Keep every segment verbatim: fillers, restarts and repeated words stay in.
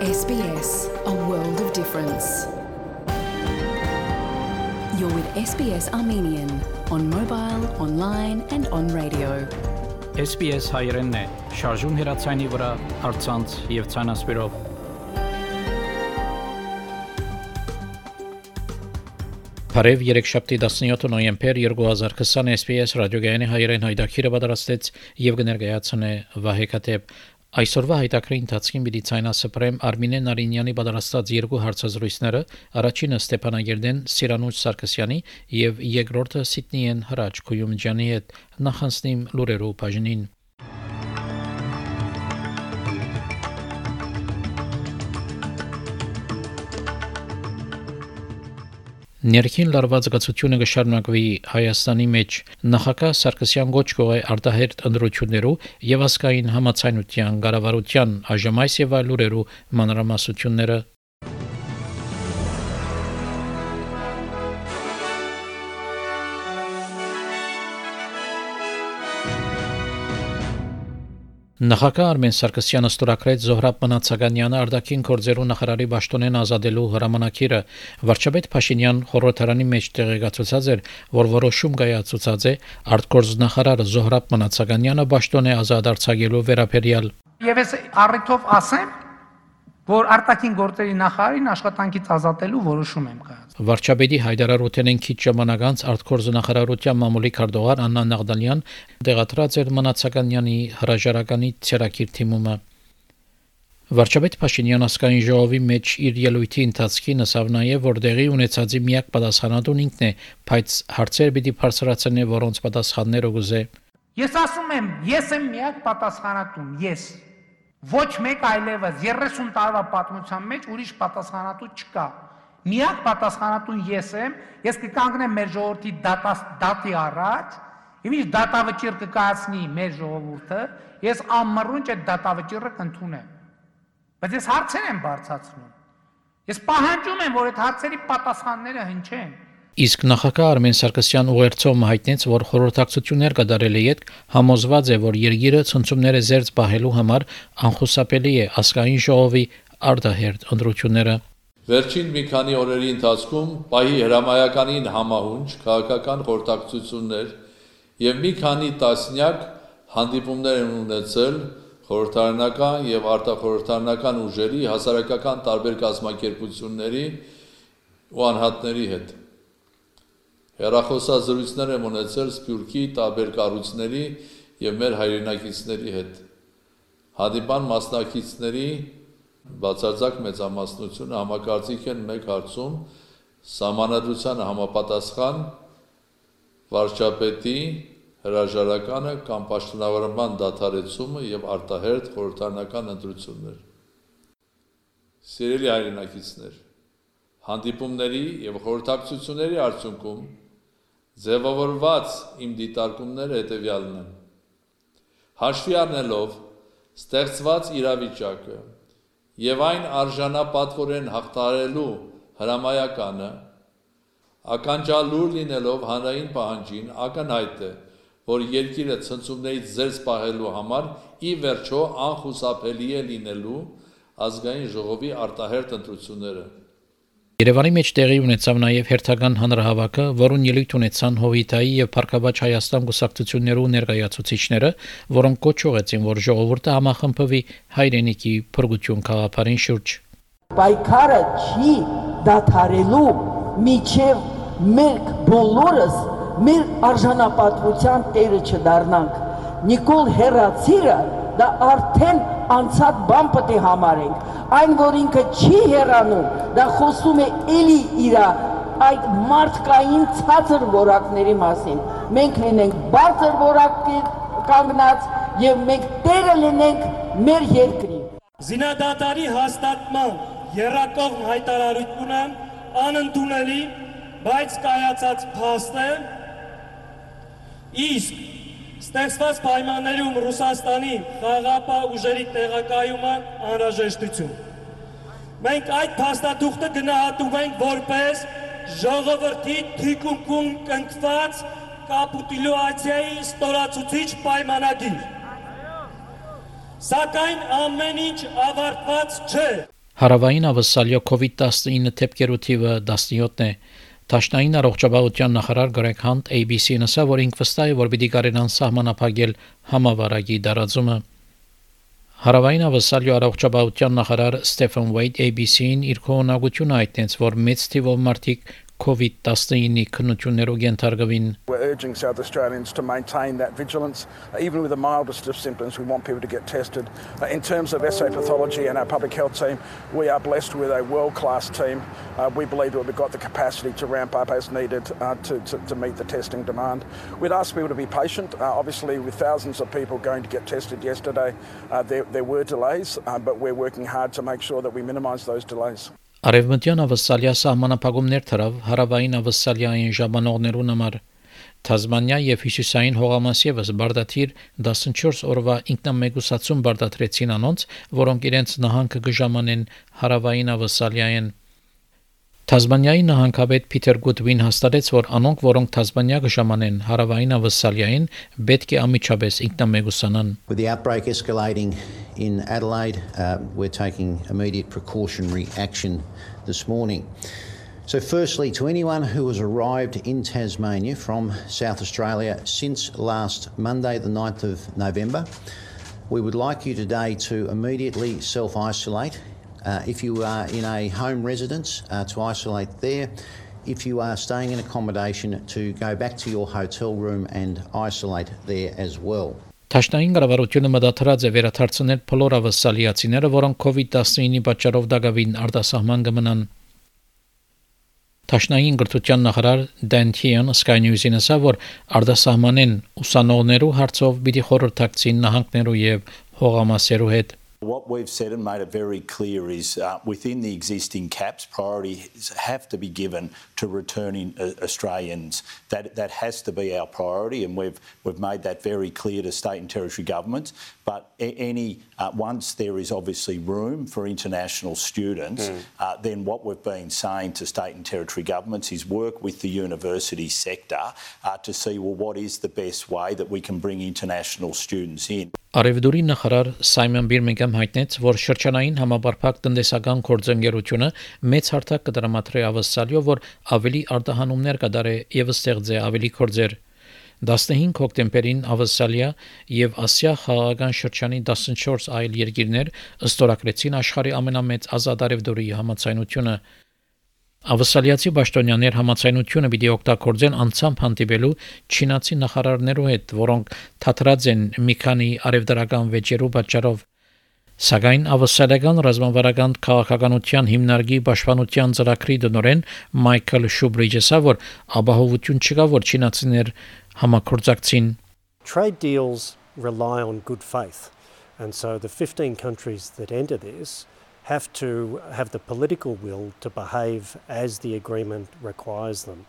S B S, a world of difference. You're with S B S Armenian on mobile, online and on radio. S B S հայերենն է, շարժուն հեռացայինի վրա, առցանց եւ ցանասպիրով։ Բարև երեքշաբթի տասնյոթ նոյեմբեր երկու հազար քսան S B S ռադիոգայանի հայերեն հայտակիրը պատրաստեց եւ կներկայացնե Վահե Քաթեփ։ Այսօրվա հայտակրի ընթացքին պիտի ցայնասպրեմ Արմինե Նարինյանի պատրաստած երկու հարցազրույցները, առաջինը Ստեփանագերդեն Սիրանուշ Սարգսյանի եւ երկրորդը Սիդնիեն Հրաչ Քույումջյանի հետ, նախանցնիմ լուրերու բաժնին։ Ներքին լարված գծությունը կշարունակվի Հայաստանի մեջ նախագահ Սարգսյան գոչ կողե արտահերտ ընդրություններու եւ ասկային համացայնության կառավարության այժմայս եւ այլ լուրերու մանրամասությունները Նախագահ Արմեն Սարգսյանը ստորագրեց Զոհրաբ Մնացականյանը արտաքին գործերու նախարարի պաշտոնեն ազատելու հրամանակիրը վարչապետ Փաշինյան խորհրդարանի մեջ տեղեկացուցած էր, որ որոշում կայացուցած է արտգործնախարար Զոհրաբ Մնացականյանը պաշտոնե ազատ արձակելու վերաբերյալ։ Եվ ես առիթով ասեմ, որ արտաքին գործերի նախարարին աշխատանքից ազատելու որոշում եմ կայացրել։ Վարչապետի հայտարարութենեն քիչ ժամանակ անց արտգործնախարարության մամուլի քարտուղար Աննա Նաղդալյան տեղադրած էր Մնացականյանի հրաժարականի ցերակիր թիմումը։ Վարչապետ Փաշինյան ասկային ժողովի մեջ իր ելույթի ընթացքին ասավ նաև, որ դեղի ունեցածի միակ պատասխանատուն ինքն է, բայց հարցեր պիտի բարձրացնի, որոնց պատասխանները գուզե։ Ես ասում եմ, ես եմ միակ պատասխանատուն, ես։ Ոչ մեկ այլևս երեսուն տարվա պատմության մեջ ուրիշ պատասխանատու չկա։ Միակ պատասխանատուն ես եմ, ես կկանգնեմ մեր ժողովրդի դատի առաջ, եւ ինչ դատավճիռ կկայացնի մեր ժողովուրդը, ես ամառունջ այդ դատավճիռը կընդունեմ։ Բայց ես հարցեր եմ բարձրացնում։ Ես պահանջում եմ, որ այդ հարցերի պատասխանները հնչեն։ Իսկ նախագահ Արմեն Սարգսյան ուղերձով հայտնեց, որ խորհրդակցություններ կդարել է յետ համոզված է, որ երկիրը ցնցումները զերծ պահելու համար անխուսափելի է ասկային ժողովի արտահերտ ընտրությունները։ Վերջին մի քանի օրերի ընթացքում պահի հրամայականին համահունչ քաղաքական խորհրդակցություններ եւ մի քանի տասնյակ հանդիպումներ են ունեցել խորհրդարանական եւ արտախորհրդարանական ուժերի հասարակական տարբեր կազմակերպությունների ու անհատների հետ։ Հեռախոսազրույցներ եմ ունեցել Սփյուռքի տարբեր կառույցների եւ մեր հայրենակիցների հետ։ Հանդիպան մասնակիցների բացարձակ մեծամասնությունը համակարծիք են մեկ հարցում սահմանադրությանը համապատասխան վարչապետի հրաժարականը կամ պաշտոնավարման դադարեցումը եւ արտահերտ խորհրդարանական ընտրություններ։ Սիրելի հայրենակիցներ, հանդիպումների եւ խորհրդակցությունների արդյունքում ձևավորված իմ դիտարկումները հետևյալն են. Հաշվի առնելով ստեղծված իրավիճակը եւ այն արժանապատվորեն հաղթահարելու հրամայականը, ականջալուր լինելով հանրային պահանջին, ակնհայտ է, որ երկիրը ցնցումներից զերծ պահելու համար ի վերջո անխուսափելի է լինելու ազգային ժողովի արտահերտ ընտրությունները։ Երևանի մեջ տեղի ունեցավ նաև հերթական հանրահավաքը, որուն ելույթ ունեցան Հովիտայի եւ Փառքաբաց Հայաստան գուսակցություններու ներկայացուցիչները, որոնք կոչ ուղեցին, որ ժողովուրդը համախմբվի հայրենիքի փրկություն գաղափարին շուրջ։ Պայքարը չի դադարելու միջև մենք բոլորս մեր արժանապատվության տերը չդառնանք։ Նիկոլ Հերացիրը դա արդեն անցած բան պետք է համարենք։ Այն, որ ինքը չի հեռանում, դա խոսում է էլի իր այդ մարդկային ցածր որակների մասին։ Մենք լինենք բարձր որակի կանգնած եւ մենք տերը լինենք մեր երկրի։ Զինադատարի հաստատման եռակողմ հայտարարությունը անընդունելի, բայց կայացած փաստ է, իսկ ստեղծված պայմաններում Ռուսաստանի խաղաղապահ ուժերի տեղակայումը անհրաժեշտություն։ Մենք այդ փաստաթուղթը գնահատում ենք որպես ժողովրդի թիկունքում կնքված կապիտուլյացիայի ստորացուցիչ պայմանագիր։ Սակայն ամեն ինչ ավարտված չէ։ Հարավային ավսալյո կովիդ տասնինը թեփկերու թիվը տասնյոթն է։ Տաշնային առողջապահության նախարար Գրեգ Հանտ A B C-ին ասա, որ ինք վստահ է, որ պիտի կարենան սահմանափակել համավարակի դարածումը։ Հարավային ավսալյո առողջապահության նախարար Ստեֆեն Վեյդ A B C-ին իր քողնակությունը հայտնեց, որ մեծ թիվով մարդիկ COVID nineteen քննություններով ենթարկվին։ We're urging South Australians to maintain that vigilance. Uh, even with the mildest of symptoms, we want people to get tested. Uh, in terms of S A pathology and our public health team, we are blessed with a world-class team. Uh, we believe that we've got the capacity to ramp up as needed uh, to, to, to meet the testing demand. We'd ask people to be patient. Uh, obviously, with thousands of people going to get tested yesterday, uh, there, there were delays, uh, but we're working hard to make sure that we minimise those delays. Արևմտյան ավսալիա սահմանափակումներ թրավ հարավային ավսալիային ժամանողներուն համար Թազմանիա եւ Հյուսիսային հողամաս եւս բարդաթիր տասնչորս օրվա ինքնամեկուսացում բարդատրեցին անոնց, որոնք իրենց նահանգը կժամանեն հարավային ավսալիային։ Թազմանիայի նահանգապետ Փիթեր Գուդվին հաստատեց, որ անոնք, որոնք Թազմանիա կժամանեն հարավային ավսալիային, պետք է ամիջապես ինքնամեկուսանան։ With the outbreak escalating in Adelaide, uh, we're taking immediate precautionary action this morning. So firstly, to anyone who has arrived in Tasmania from South Australia since last Monday, the ninth of November, we would like you today to immediately self-isolate. Uh, if you are in a home residence, uh, to isolate there. If you are staying in accommodation, to go back to your hotel room and isolate there as well. Տաշնային կառավարությունը մտադրած է վերադարձնել բոլոր ավսալիացիները, որոնք COVID nineteen-ի պատճառով դակավին արտասահման կմնան։ Տաշնային գրթության նախարար Դեն Թիոն Sky News-ին ասա, որ արտասահմանեն ուսանողներու հարցով պիտի խորհրդակցին նահանգներու եւ հողամասերու հետ։ What we've said and made it very clear is uh, within the existing caps, priorities have to be given to returning uh, Australians. That that has to be our priority, and we've we've made that very clear to state and territory governments. But any uh, once there is obviously room for international students, mm. uh, then what we've been saying to state and territory governments is work with the university sector uh, to see well what is the best way that we can bring international students in. Արևդուրի նախարար Սայմոն Բիրմինգհամ հայտնեց, որ շրջանային համապարփակ տնտեսական գործընկերությունը մեծ հարթակ կդրամատրի ավսալյո, որ ավելի արտահանումներ կդարե եւ ստեղծե ավելի գործեր։ տասնհինգ հոկտեմբերին ավսալիա եւ Ասիա խաղաղական շրջանի տասնչորս այլ երկիրներ ըստորակրեցին աշխարհի ամենամեծ ազատ արևդուրի համացայնությունը։ Ավսալիացի պաշտոնյաներ համացայնությունը պիտի օգտագործեն անցամբ հանդիպելու չինացի նախարարներու հետ, որոնք թատրած են մի քանի արևդրական վեճերու պատճառով։ Սակայն ավսալիական ռազմավարական քաղաքականության հիմնարկի պաշտպանության ծրագրի դնորեն Մայքլ Շուբրիջը ասա, որ ապահովություն չկա, որ չինացիներ համագործակցին։ Trade deals rely on good faith, and so the fifteen countries that enter this have to have the political will to behave as the agreement requires them.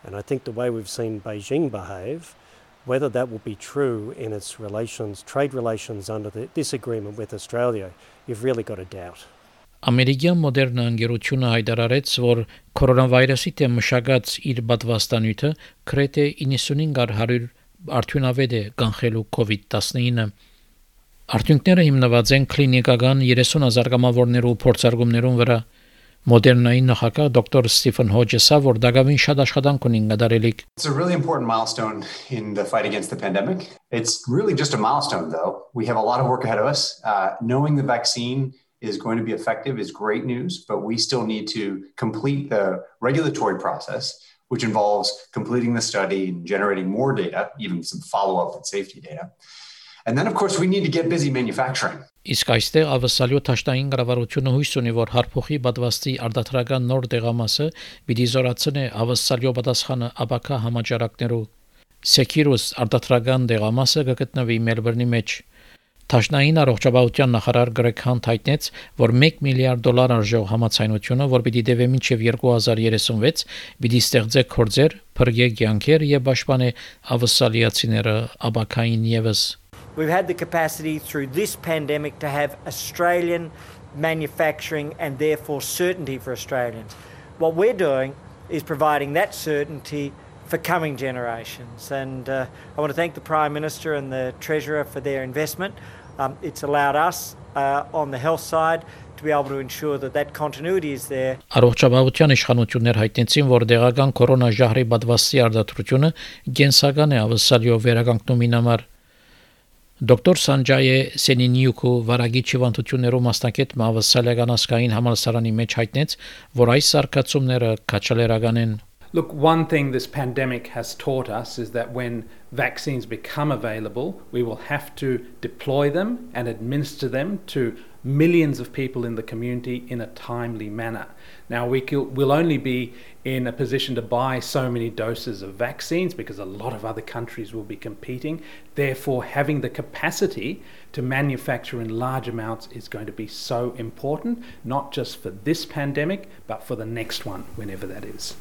And I think the way we've seen Beijing behave, whether that will be true in its relations, trade relations under the, this agreement with Australia, you've really got a doubt. Ամերիկյան մոդեռնա ընկերությունը հայտարարեց, որ կորոնավիրուսի դեմ մշակած իր պատվաստանյութը գրեթե ninety-five առ one hundred արդյունավետ է կանխելու COVID nineteen-ը։ Արդյունքները հիմնված են կլինիկական thirty thousand կամավորներու փորձարկումներուն վրա։ Մոդեռնայի նախագահ Doctor Stephen Hodges'a, որ դակավին շատ աշխատանք ունին գդարելիք։ It's a really important milestone in the fight against the pandemic. It's really just a milestone, though. We have a lot of work ahead of us. Uh, knowing the vaccine is going to be effective is great news, but we still need to complete the regulatory process, which involves completing the study and generating more data, even some follow-up and safety data. And then, of course, we need to get busy manufacturing. Իսկ այստեղ ավսալյո տաշտային կառավարությունը հույս ունի, որ հարփոխի պատվաստի արտադրական նոր դեղամասը պիտի զորացնի ավսալյո պատասխանը ապակա համաճարակներու։ Securus արտադրական դեղամասը կգտնվի Մելբուրնի մեջ։ Տաշնային առողջապահության նախարար Գրեգ Հանտ հայտնեց, որ one միլիարդ դոլար արժող համացայնությունը, որ պիտի դեպի մինչև twenty thirty-six, պիտի ստեղծե գործեր, փրկե կյանքեր եւ պաշտպանե ավսալիացիները ապակային եւս։ We've had the capacity through this pandemic to have Australian manufacturing and therefore certainty for Australians. What we're doing is providing that certainty for coming generations. And uh, I want to thank the Prime Minister and the Treasurer for their investment. Um, it's allowed us uh, on the health side to be able to ensure that that continuity is there. Առողջապահության իշխանություններ հայտնեցին, որ դեղական կորոնաժահրի պատվաստի արդարությունը գենսական է ավսալյով վերականգնումին համար։ Դոկտոր Սանջայե Սենինյուկու վարագիչ հիվանդություններով մասնակետ Մավասալական ասկային համալսարանի մեջ հայտնեց, որ այս սարքացումները քաչալերական են։ Look, one thing this pandemic has taught us is that when vaccines become available, we will have to deploy them and administer them to millions of people in the community in a timely manner. Now, we will only be in a position to buy so many doses of vaccines because a lot of other countries will be competing. Therefore, having the capacity to manufacture in large amounts is going to be so important, not just for this pandemic, but for the next one, whenever that is.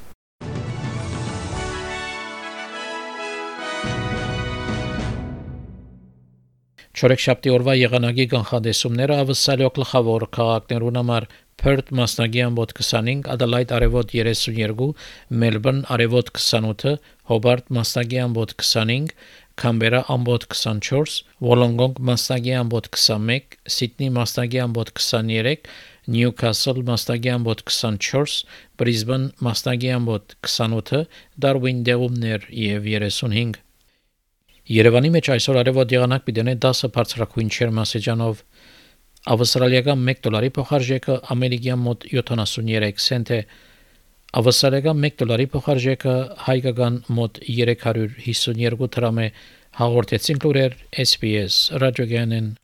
Չորեքշաբթի օրվա եղանակի կանխատեսումները ավսալյո գլխավոր քաղաքներուն համար Perth մասնագի ամբոտ քսանհինգ, Adelaide արևոտ երեսունյերկու, Melbourne արևոտ քսանութ, Hobart մասնագի ամբոտ քսանհինգ, Canberra ամբոտ քսանչորս, Wollongong մասնագի ամբոտ քսանմեկ, Sydney մասնագի ամբոտ քսաներեք, Newcastle մասնագի ամբոտ քսանչորս, Brisbane մասնագի ամբոտ քսանութ, Darwin դեղումներ եւ երեսունհինգ։ Երևանի մեջ այսօր արևոտ եղանակ պիտենե դասը բարձրակույն չերմասեջանով, ավստրալիական մեկ դոլարի փոխարժեքը ամերիկյան մոտ յոթանասուներեք سنت է, ավստրալիական մեկ դոլարի փոխարժեքը հայկական մոտ երեք հարյուր հիսունյերկու դրամ է, հաղորդեցին լուրեր S B S ռադիոգյանեն։